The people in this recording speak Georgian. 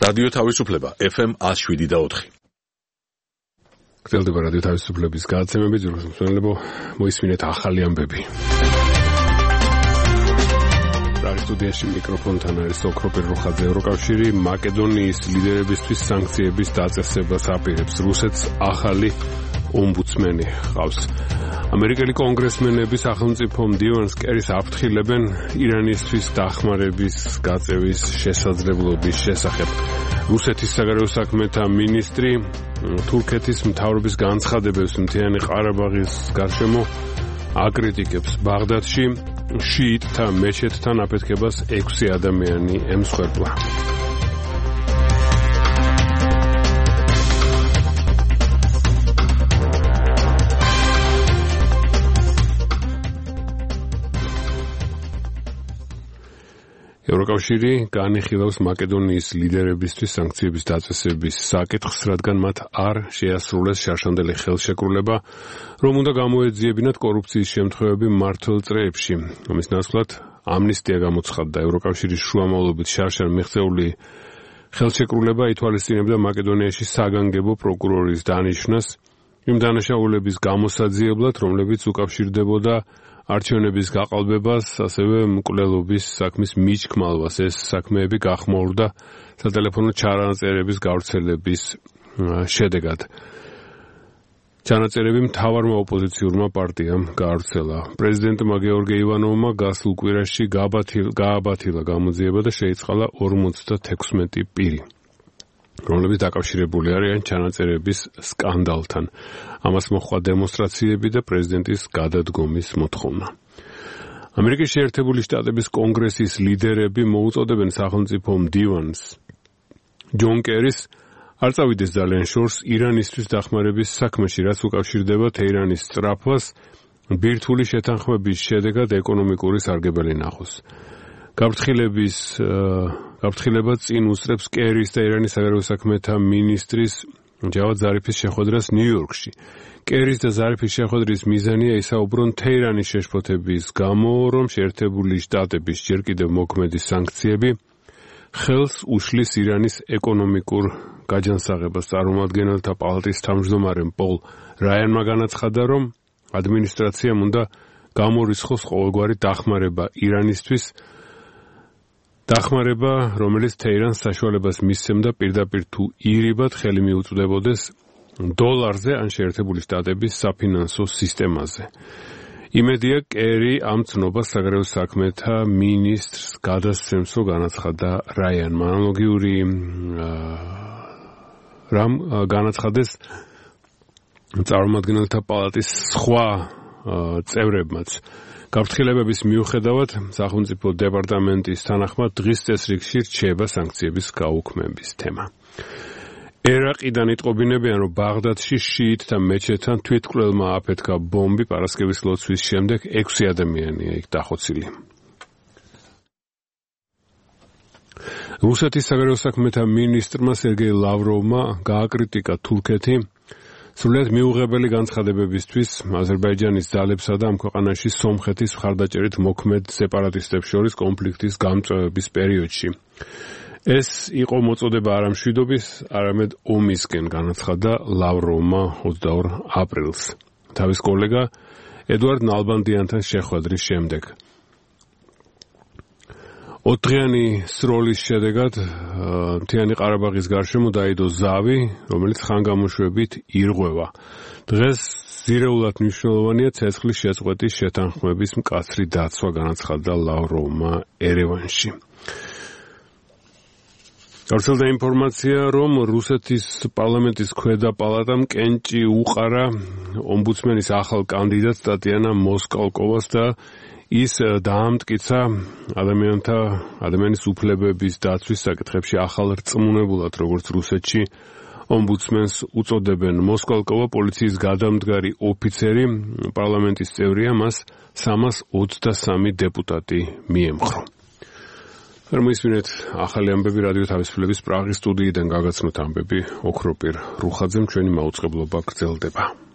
რადიო თავისუფლება FM 107.4. გრძელდება რადიო თავისუფლების გადაცემები, ძვირფას მსმენელებო, მოისმინეთ ახალი ამბები. პრაღის სტუდიაში მიკროფონთან არის ოქროპირ რუხაძე. ევროკავშირი მაკედონიის ლიდერებისთვის სანქციების დაწესებას აპირებს. რუსეთს ახალი ომბუდსმენი ჰყავს. ამერიკელი კონგრესმენები სახელმწიფო მდივანს კერის აფრთხილებენ ირანისთვის დახმარების გაწევის შესაძლებლობის შესახებ. რუსეთის საგარეო საქმეთა მინისტრი თურქეთის მთავრობის განცხადებებს მთიანი ყარაბაღის გარშემო აკრიტიკებს. ბაღდადში შიიტთა მეჩეთთან აფეთქებას 6 ადამიანი ემსხვერპლა. ევროკავშირი განიხილავს მაკედონიის ლიდერებისთვის სანქციების დაწესების საკითხს, რადგან მათ არ შეასრულეს შარშანდელი ხელშეკრულება, რომ უნდა გამოეძიებინათ კორუფციის შემთხვევები მმართველ წრეებში. ამის ნაცვლად ამნისტია გამოცხადდა. ევროკავშირის შუამავლობით შარშან მიღწეული ხელშეკრულება ითვალისწინებდა მაკედონიაში საგანგებო პროკურორის დანიშვნას იმ დანაშაულების გამოსაძიებლად, რომლებიც უკავშირდებოდა არჩევნების გაყალბებას, ასევე მკვლელობის საქმის მიჩქმალვას. ეს საქმეები გახმოურდა სატელეფონო ჩანაწერების გავრცელების შედეგად. ჩანაწერები მთავარმა ოპოზიციურმა პარტიამ გაავრცელა. პრეზიდენტმა გეორგი ივანოვმა გასულ კვირაში გააბათილა გამოძიება და შეიწყალა 56 პირი, რომლებიც დაკავშირებული არიან ჩანაწერების სკანდალთან. ამას მოჰყვა დემონსტრაციები და პრეზიდენტის გადადგომის მოთხოვნა. ამერიკის შეერთებული შტატების კონგრესის ლიდერები მოუწოდებენ სახელმწიფო მდივანს ჯონ კერის არ წავიდეს ძალიან შორს ირანისთვის დახმარების საქმეში, რაც უკავშირდება თეირანის სწრაფვას ბირთვული შეთანხმების შედეგად ეკონომიკური სარგებელი ნახოს. გაფრთხილება წინ უსწრებს კერის და ირანის საგარეო საქმეთა მინისტრის ჯავად ზარიფის შეხვედრას ნიუ-იორკში. კერის და ზარიფის შეხვედრის მიზანია ისაუბრონ თეირანის შეშფოთების გამო, რომ შეერთებული შტატების ჯერ კიდევ მოქმედი სანქციები ხელს უშლის ირანის ეკონომიკურ გაჯანსაღებას. წარმომადგენელთა პალატის თავმჯდომარე პოლ რაიანმა განაცხადა, რომ ადმინისტრაციამ უნდა გამორიცხოს ყოველგვარი დახმარება ირანისთვის, დახმარება, რომელიც თეირანს საშუალებას მისცემდა პირდაპირ თუ ირიბად ხელი მიუწვდებოდეს დოლარზე ან შეერთებული შტატების საფინანსო სისტემაზე. იმედია კერი ამ ცნობას საგარეო საქმეთა მინისტრს გადასცემს, რომ განაცხადა რაიანმა. ანალოგიური რამ განაცხადეს წარმომადგენელთა პალატის სხვა წევრებმაც. გაფრთხილებების მიუხედავად სახელმწიფო დეპარტამენტის თანახმად დღის წესრიგში რჩება სანქციების გაუქმების თემა. ერაყიდან იტყობინებიან, რომ ბაღდადში შიიტთა მეჩეთთან თვითმკვლელმა აფეთქა ბომბი. პარასკევის ლოცვის შემდეგ 6 ადამიანია იქ დახოცილი. რუსეთის საგარეო საქმეთა მინისტრმა სერგეი ლავროვმა გააკრიტიკა თურქეთი სრულიად მიუღებელი განცხადებებისთვის აზერბაიჯანის ძალებსა და ამ ქვეყანაში სომხეთის მხარდაჭერით მოქმედ სეპარატისტებს შორის კონფლიქტის გამწვევების პერიოდში. ეს იყო მოწოდება არა მშვიდობის, არამედ ომისკენ, განაცხადა ლავროვმა 22 აპრილს თავის კოლეგა ედუარდ ნალბანდიანთან შეხვედრის შემდეგ. 4 დღიანი სროლის შედეგად მთიანი ყარაბაღის გარშემო დაიდო ზავი, რომელიც ხანგამოშვებით ირღვევა. დღეს ზირეულად მნიშვნელოვანია ცეცხლის შეწყვეტის შეთანხმების მკაცრი დაცვა, განაცხადა ლავროვმა ერევანში. გავრცელდა ინფორმაცია, რომ რუსეთის პარლამენტის ქვედა პალატამ კენჭი უყარა ომბუდსმენის ახალ კანდიდატს ტატიანა მოსკალკოვას და ის დაამტკიცა ადამიანის უფლებების დაცვის საკითხებში ახალ რწმუნებულად, როგორც რუსეთში ომბუდსმენს უწოდებენ. მოსკალკოვა პოლიციის გადამდგარი ოფიცერი, პარლამენტის წევრია, მას 323 დეპუტატი მიემხრო. მოისმინეთ ახალი ამბები რადიო თავისუფლების პრაღის სტუდიიდან გაგაცნოთ ამბები ოქროპირ რუხაძემ, ჩვენი მაუწყებლობა გრძელდება.